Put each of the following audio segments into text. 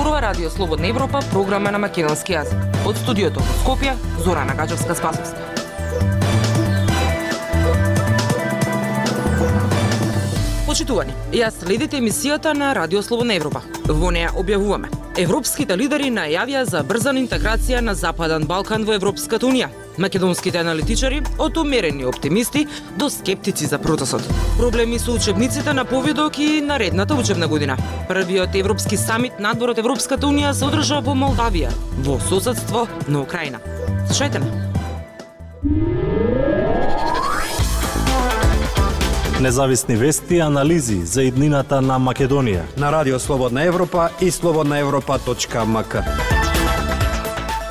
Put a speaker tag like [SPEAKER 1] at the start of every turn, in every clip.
[SPEAKER 1] зборува Радио Слободна Европа, програма на македонски јазик. Од студиото во Скопје, Зорана Гаджевска-Спасовска. Почитувани, јас следите емисијата на Радио Слободна Европа. Во неја објавуваме: европските лидери најавија за брза интеграција на Западен Балкан во Европската унија. Македонските аналитичари од умерени оптимисти до скептици за процесот. Проблеми со учебниците на поведок и наредната учебна година. Првиот европски самит надвор од Европската унија се одржа во Молдавија, во соседство на Украина. Слушајте ме.
[SPEAKER 2] Независни вести и анализи за иднината на Македонија
[SPEAKER 3] на Радио Слободна Европа и slobodnaevropa.mk.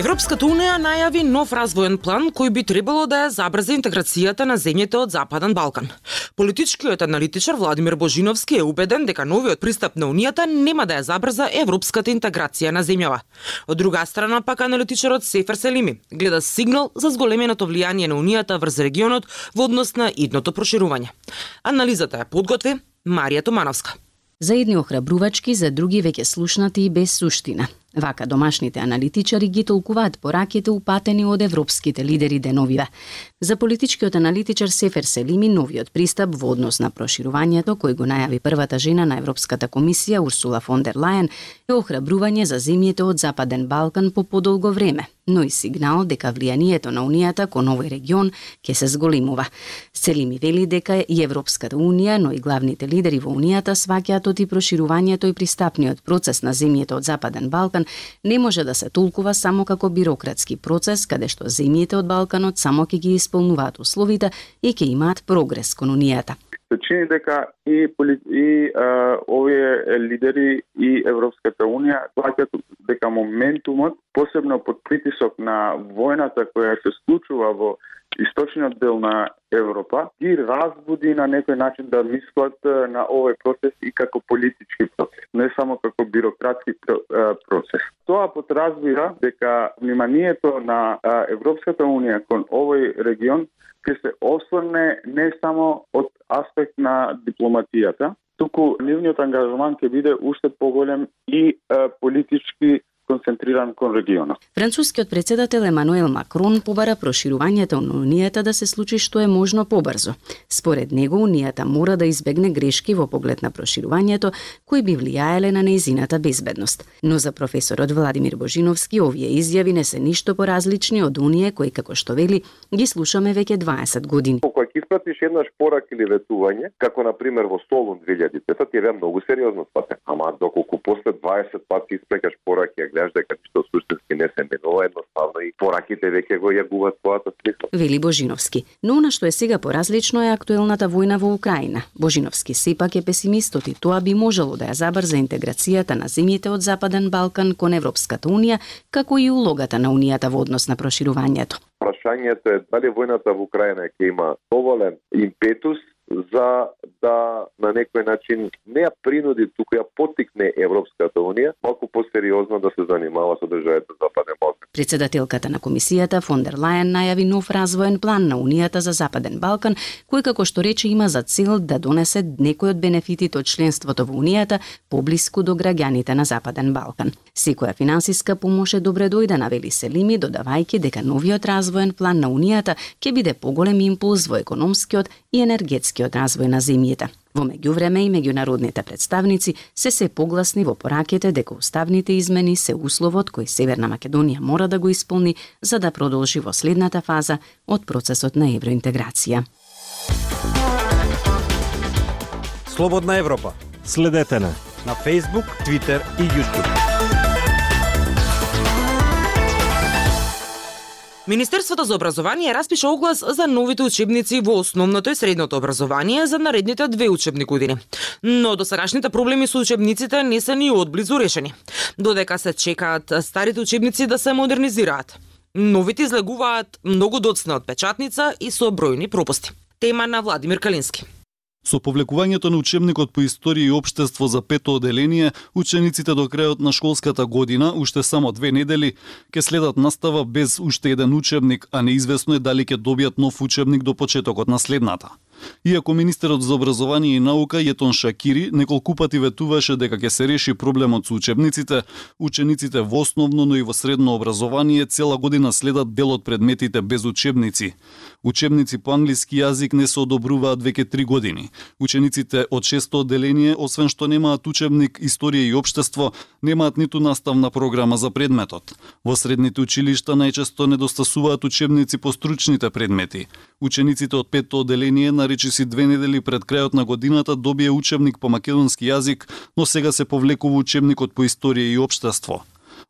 [SPEAKER 1] Европската унија најави нов развоен план кој би требало да ја забрза интеграцијата на земјите од Западен Балкан. Политичкиот аналитичар Владимир Божиновски е убеден дека новиот пристап на унијата нема да ја забрза европската интеграција на земјава. Од друга страна пак аналитичарот Сефер Селими гледа сигнал за зголеменото влијание на унијата врз регионот во однос на идното проширување. Анализата ја подготви Марија Томановска.
[SPEAKER 4] За едни охрабрувачки, за други веќе слушнати и без суштина. Вака домашните аналитичари ги толкуваат пораките упатени од европските лидери деновиве. За политичкиот аналитичар Сефер Селими, новиот пристап во однос на проширувањето, кој го најави првата жена на Европската комисија Урсула фон дер Лајен, е охрабрување за земјите од Западен Балкан по подолго време, но и сигнал дека влијанието на унијата кон овој регион ќе се зголемува. Селими вели дека и Европската унија, но и главните лидери во унијата сваќаат оти проширувањето и пристапниот процес на земјите од Западен Балкан не може да се толкува само како бирократски процес, каде што земјите од Балканот само ќе ги исполнуваат условите и ќе имаат прогрес кон унијата.
[SPEAKER 5] Се чини дека и овие лидери и Европската унија сваќаат дека моментумот, посебно под притисок на војната која се случува во источниот дел на Европа, ги разбуди на некој начин да мислат на овој процес и како политички процес, не само како бирократски процес. Тоа подразбира дека вниманието на Европската унија кон овој регион ќе се осврне не само од аспект на дипломатијата, туку нивниот ангажман ќе биде уште поголем и политички концентриран кон регионот.
[SPEAKER 4] Францускиот председател Емануел Макрон побара проширувањето на унијата да се случи што е можно побрзо. Според него унијата мора да избегне грешки во поглед на проширувањето кои би влијаеле на нејзината безбедност. Но за професорот Владимир Божиновски овие изјави не се ништо поразлични од оние кои, како што вели, ги слушаме веќе 20 години.
[SPEAKER 6] Кога ќе испратиш еднаш порак или ветување, како на пример во Солун 2005, ти е многу сериозно сватен. Ама доколку после 20 пати испрекаш порак и гледаш дека ништо суштински не се менува, едноставно и пораките веќе го јагуваат својата смисла.
[SPEAKER 4] Вели Божиновски. Но она што е сега поразлично е актуелната војна во Украина. Божиновски сепак е песимистот и тоа би можело да ја забрза интеграцијата на земјите од Западен Балкан кон Европската унија, како и улогата на унијата во однос на проширувањето.
[SPEAKER 6] Прашањето е дали војната во Украина ќе има доволен импетус за да на некој начин не ја принуди, туку ја поттикне Европската унија малку посериозно да се занимава со државите Западен Балкан.
[SPEAKER 4] Председателката на комисијата фон дер Лајен најави нов развоен план на унијата за Западен Балкан, кој како што рече има за цел да донесе некој од бенефитите од членството во унијата поблиску до граѓаните на Западен Балкан. Секоја финансиска помош е добре дојдена, вели Селими, додавајќи дека новиот развоен план на унијата ќе биде поголем импулс во економскиот и енергетскиот развој на земјите. Во меѓувреме и меѓународните представници се погласни во пораките дека уставните измени се условот кој Северна Македонија мора да го исполни за да продолжи во следната фаза од процесот на евроинтеграција.
[SPEAKER 3] Слободна Европа.
[SPEAKER 2] Следете на
[SPEAKER 3] Facebook, Twitter и YouTube.
[SPEAKER 1] Министерството за образование распиша оглас за новите учебници во основното и средното образование за наредните 2 учебни години. Но досегашните проблеми со учебниците не се ни одблизу решени, додека се чекаат старите учебници да се модернизираат. Новите излегуваат многу доцна од печатница и со бројни пропусти. Тема на Владимир Калински.
[SPEAKER 7] Со повлекувањето на учебникот по историја и општество за 5-то оделение, учениците до крајот на школската година, уште само 2 недели, ќе следат настава без уште еден учебник, а неизвестно е дали ќе добијат нов учебник до почетокот на следната. Иако министерот за образование и наука Јетон Шакири неколку пати ветуваше дека ќе се реши проблемот со учениците во основно, но и во средно образование цела година следат дел од предметите без учебници. Учебници по англиски јазик не се одобруваат веќе 3 години. Учениците од 6-то одделение, освен што немаат учебник Историја и општество, немаат ниту наставна програма за предметот. Во средните училишта најчесто недостасуваат учебници по стручните предмети. Учениците од 5-то одделение наречиси 2 недели пред крајот на годината добие учебник по македонски јазик, но сега се повлекува учебникот по Историја и општество.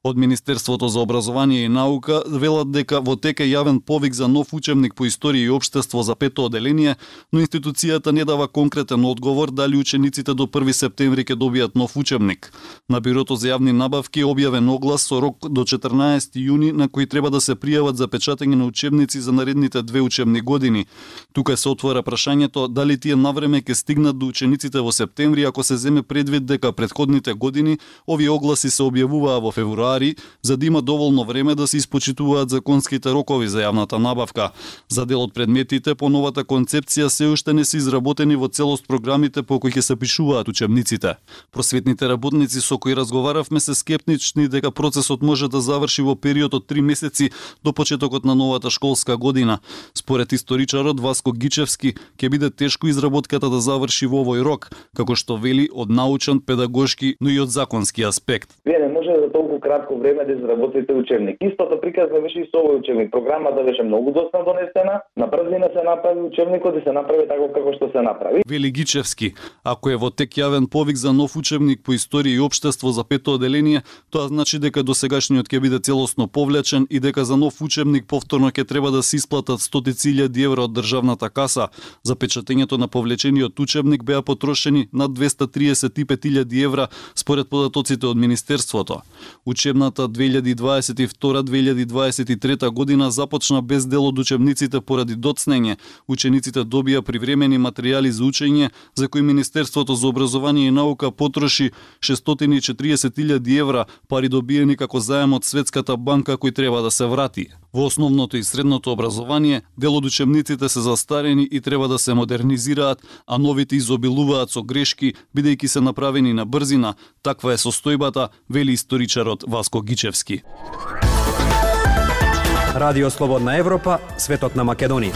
[SPEAKER 7] Од Министерството за образование и наука велат дека во тек е јавен повик за нов учебник по Историја и општество за 5-то одделение, но институцијата не дава конкретен одговор дали учениците до 1 септември ќе добијат нов учебник. На Бирото за јавни набавки е објавен оглас со рок до 14 јуни на кој треба да се пријават за печатење на учебници за наредните 2 учебни години. Тука се отвора прашањето дали тие навреме ќе стигнат до учениците во септември ако се земе предвид дека претходните години овие огласи се објавуваа во февруари, за да има доволно време да се испочитуваат законските рокови за јавната набавка. За дел од предметите по новата концепција се уште не се изработени во целост програмите по кои ќе се пишуваат учебниците. Просветните работници со кои разговаравме се скептични дека процесот може да заврши во период од 3 месеци до почетокот на новата школска година. Според историчарот Васко Гичевски, ќе биде тешко изработката да заврши во овој рок, како што вели од научен, педагошки, но и од законски аспект.
[SPEAKER 8] Вие не може за толку кратко време да изработите учебник. Истото приказна беше и со овој учебник. Програмата беше многу доста донесена, на брзина се направи учебникот и се направи така како што се направи.
[SPEAKER 7] Вели Гичевски, ако е во тек јавен повик за нов учебник по Историја и општество за 5-то одделение, тоа значи дека досегашниот ќе биде целосно повлечен и дека за нов учебник повторно ќе треба да се исплатат 100.000 евра од државната каса. За печатењето на повлечениот учебник беа потрошени над 235.000 евра според податоците од Министерството. Учебната 2022-2023 година започна без дел од учебниците поради доцнење. Учениците добија привремени материјали за учење, за кои Министерството за образование и наука потроши 640.000 евра, пари добиени како заем од Светската банка кој треба да се врати. Во основното и средното образование, дел од учебниците се застарени и треба да се модернизираат, а новите изобилуваат со грешки, бидејќи се направени на брзина. Таква е состојбата, вели историчарот Васко Гичевски.
[SPEAKER 3] Радио Слободна Европа, светот на Македонија.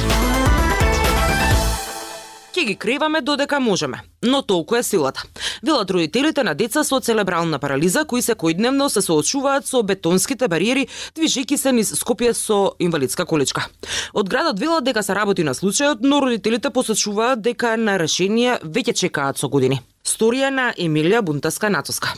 [SPEAKER 1] Ќе ги креваме додека можеме, но толку е силата. Велат родителите на деца со церебрална парализа кои секојдневно се соочуваат со бетонските бариери, движејќи се низ Скопје со инвалидска количка. Од градот велат дека се работи на случајот, но родителите посочуваат дека на решение веќе чекаат со години. Сторија на Емилија Бунтаска-Натоска.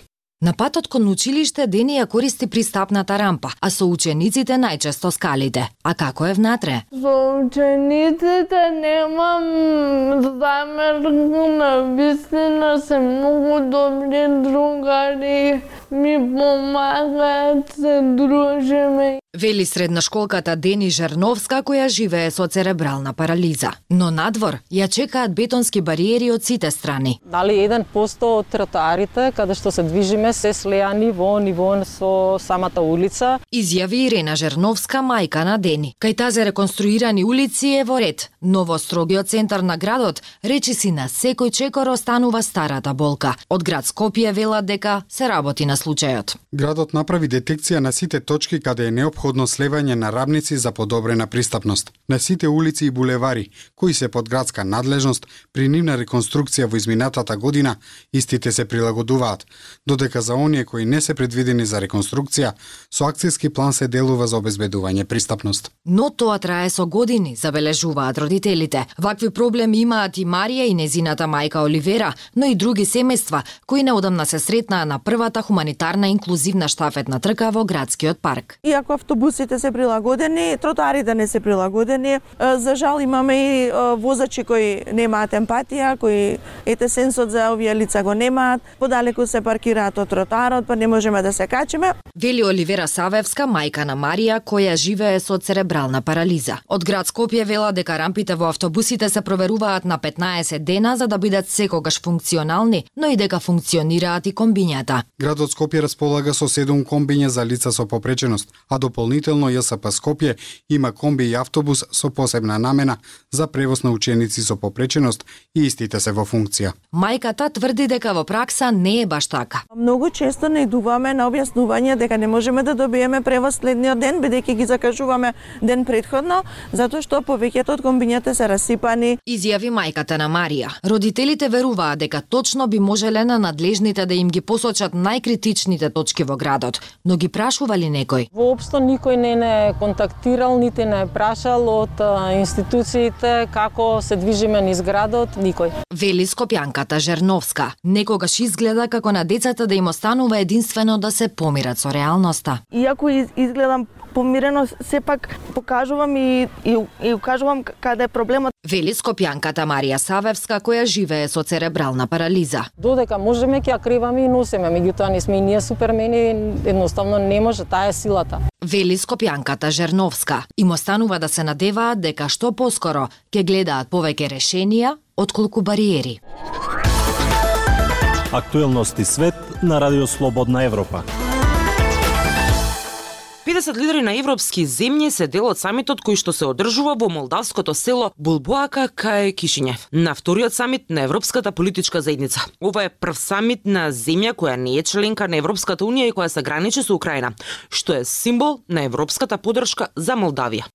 [SPEAKER 9] На патот кон училиште Дени ја користи пристапната рампа, а со учениците најчесто скалите. А како е внатре?
[SPEAKER 10] Со учениците немам замерна, вистина се многу добри другари, ми помагаат, се дружиме.
[SPEAKER 9] Вели средношколката Дени Жерновска која живее со церебрална парализа. Но надвор ја чекаат бетонски бариери од сите страни.
[SPEAKER 11] Дали 1% од тротоарите каде што се движиме се слеани во ниво со самата улица.
[SPEAKER 9] Изјави Ирена Жерновска, мајка на Дени. Кај тази реконструирани улици е во ред, но во строгиот центар на градот речиси на секој чекор останува старата болка. Од град Скопје велат дека се работи на случајот.
[SPEAKER 12] Градот направи детекција на сите точки каде е неопходно слевање на рамници за подобрена пристапност. На сите улици и булевари, кои се под градска надлежност, при нивна реконструкција во изминатата година, истите се прилагодуваат, додека за оние кои не се предвидени за реконструкција, со акцијски план се делува за обезбедување пристапност.
[SPEAKER 9] Но тоа трае со години, забележуваат родителите. Вакви проблеми имаат и Марија и незината мајка Оливера, но и други семејства, кои неодамна се сретнаа на првата хуманитарна инклузивна штафетна трка во градскиот парк.
[SPEAKER 13] Иако автобусите се прилагодени, тротоарите не се прилагодени. За жал имаме и возачи кои немаат емпатија, кои сенсот за овие лица го немаат, подалеку се паркираат од тротоарот, па не можеме да се качиме.
[SPEAKER 9] Вели Оливера Савевска, мајка на Марија, која живее со церебрална парализа. Од град Скопје вела дека рампите во автобусите се проверуваат на 15 дена за да бидат секогаш функционални, но и дека функционираат и комбињата.
[SPEAKER 12] Градот Скопје располага со 7 комбиња за лица со попреченост, а до Дополнително ЈСП Скопје има комби и автобус со посебна намена за превоз на ученици со попреченост и истите се во функција.
[SPEAKER 9] Мајката тврди дека во пракса не е баш така.
[SPEAKER 13] Многу често наидуваме на објаснување дека не можеме да добиеме превоз следниот ден, бидејќи ги закажуваме ден претходно, затоа што повеќето од комбињата се расипани.
[SPEAKER 9] Изјави мајката на Марија. Родителите веруваат дека точно би можеле на надлежните да им ги посочат најкритичните точки во градот, но ги прашува ли некој?
[SPEAKER 11] Воопшто никој не контактирал, нити не прашал од институциите како се движиме низ градот, никој.
[SPEAKER 9] Вели скопјанката Жерновска. Некогаш изгледа како на децата да им останува единствено да се помират со реалноста.
[SPEAKER 13] Иако изгледам помирено, сепак покажувам и укажувам каде е проблемот.
[SPEAKER 9] Вели скопјанката Марија Савевска, која живее со церебрална парализа.
[SPEAKER 11] Додека можеме ќе ја криваме и носиме, меѓутоа не сме и ние супермени, едноставно не може, таа е силата.
[SPEAKER 9] Вели скопјанката Жерновска. Им останува да се надеваат дека што поскоро ќе гледаат повеќе решенија отколку бариери.
[SPEAKER 2] Актуелности свет на Радио Слободна Европа.
[SPEAKER 1] 50 лидери на европски земји се дел од самитот кој што се одржува во молдавското село Булбоака кај Кишињев, на вториот самит на Европската политичка заедница. Ова е прв самит на земја која не е членка на Европската унија и која се граничи со Украина, што е символ на европската поддршка за Молдавија.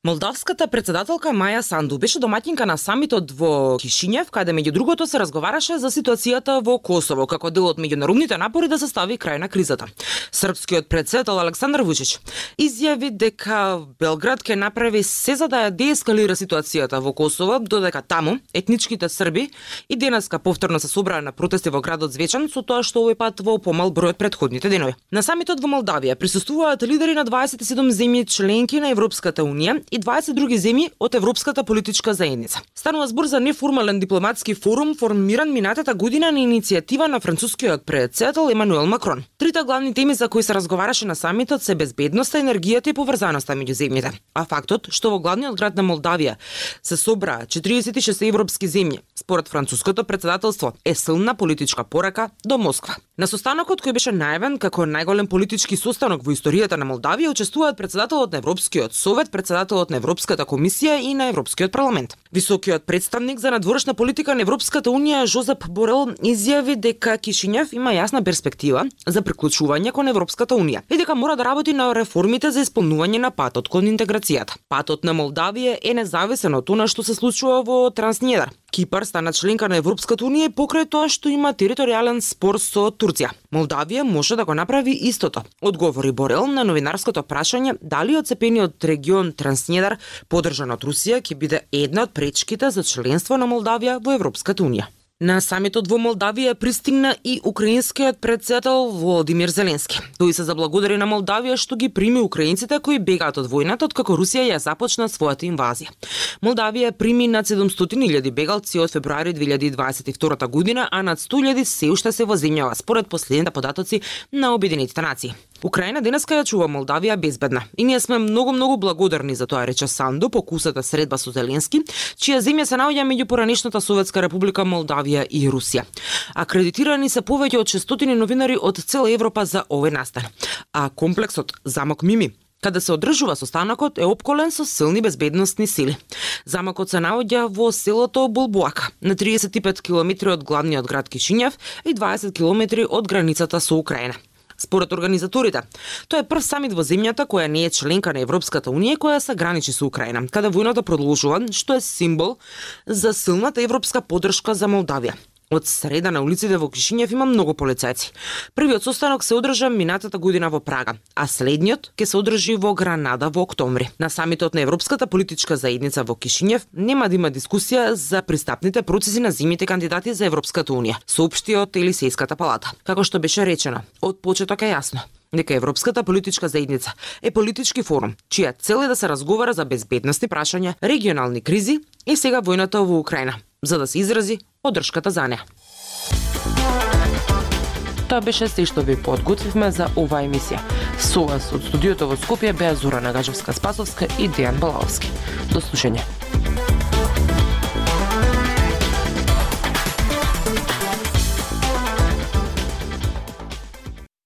[SPEAKER 1] Молдавската председателка Маја Санду беше домаќинка на самитот во Кишињев, каде меѓу другото се разговараше за ситуацијата во Косово како дел од меѓународните напори да се стави крај на кризата. Српскиот претседател Александар Вучич изјави дека Белград ќе направи се за да ја деескалира ситуацијата во Косово, додека таму етничките срби и денеска повторно се собраа на протести во градот Звечан, со тоа што овој пат во помал број од претходните денови. На самитот во Молдавија присуствуваат лидери на 27 земји членки на Европската унија и 20 други земји од Европската политичка заедница. Станува збор за неформален дипломатски форум формиран минатата година на иницијатива на францускиот претседател Емануел Макрон. Трите главни теми за кои се разговараше на самитот се безбедноста, енергијата и поврзаноста меѓу земјите. А фактот што во главниот град на Молдавија се собраа 46 европски земји, според француското претседателство, е силна политичка порака до Москва. На состанокот кој беше најавен како најголем политички состанок во историјата на Молдавија учествуваат претседателот на Европскиот совет, претседателот на Европската комисија и на Европскиот парламент. Високиот представник за надворешна политика на Европската унија Жозеп Борел изјави дека Кишињев има јасна перспектива за приклучување кон Европската унија и дека мора да работи на реформите за исполнување на патот кон интеграцијата. Патот на Молдавија е независен од она што се случува во Транснедар. Кипар стана членка на Европската унија покрај тоа што има територијален спор со Турција. Молдавија може да го направи истото, одговори Борел на новинарското прашање дали одцепениот регион Транснедар, поддржан од Русија, ќе биде една од пречките за членство на Молдавија во Европската унија. На самитот во Молдавија пристигна и украинскиот претседател Володимир Зеленски. Тој се заблагодари на Молдавија што ги прими украинците кои бегаат од војната откако Русија ја започна својата инвазија. Молдавија прими над 700.000 бегалци од февруари 2022 година, а над 100.000 се уште се во земјава, според последните податоци на Обединетите нации. Украина денеска ја чува Молдавија безбедна и ние сме многу благодарни за тоа, рече Санду по кусата средба со Зеленски, чија земја се наоѓа меѓу поранешната Советска република Молдавија и Русија. Акредитирани се повеќе од 600 новинари од цела Европа за овој настан. А комплексот Замок Мими, каде се одржува состанокот, е опколен со силни безбедносни сили. Замокот се наоѓа во селото Булбоака, на 35 км од главниот град Кишињев и 20 км од границата со Украина. Според организаторите, тоа е прв самит во земјата која не е членка на Европската унија која се граничи со Украина, каде војната продолжува, што е символ за силната европска поддршка за Молдавија. Од среда на улиците во Кишињев има многу полицајци. Првиот состанок се одржа минатата година во Прага, а следниот ќе се одржи во Гранада во октомври. На самитот на Европската политичка заедница во Кишињев нема да има дискусија за пристапните процеси на земјите кандидати за Европската унија, соопшти од Елисејската палата. Како што беше речено, од почеток е јасно дека Европската политичка заедница е политички форум, чија цел е да се разговара за безбедностни прашања, регионални кризи и сега војната во Украина, за да се изрази поддршката за неа. Тоа беше се што ви подготвивме за оваа емисија. Со вас од студиото во Скопје беа Зора Нагажевска-Спасовска и Дејан Балаовски. До слушање.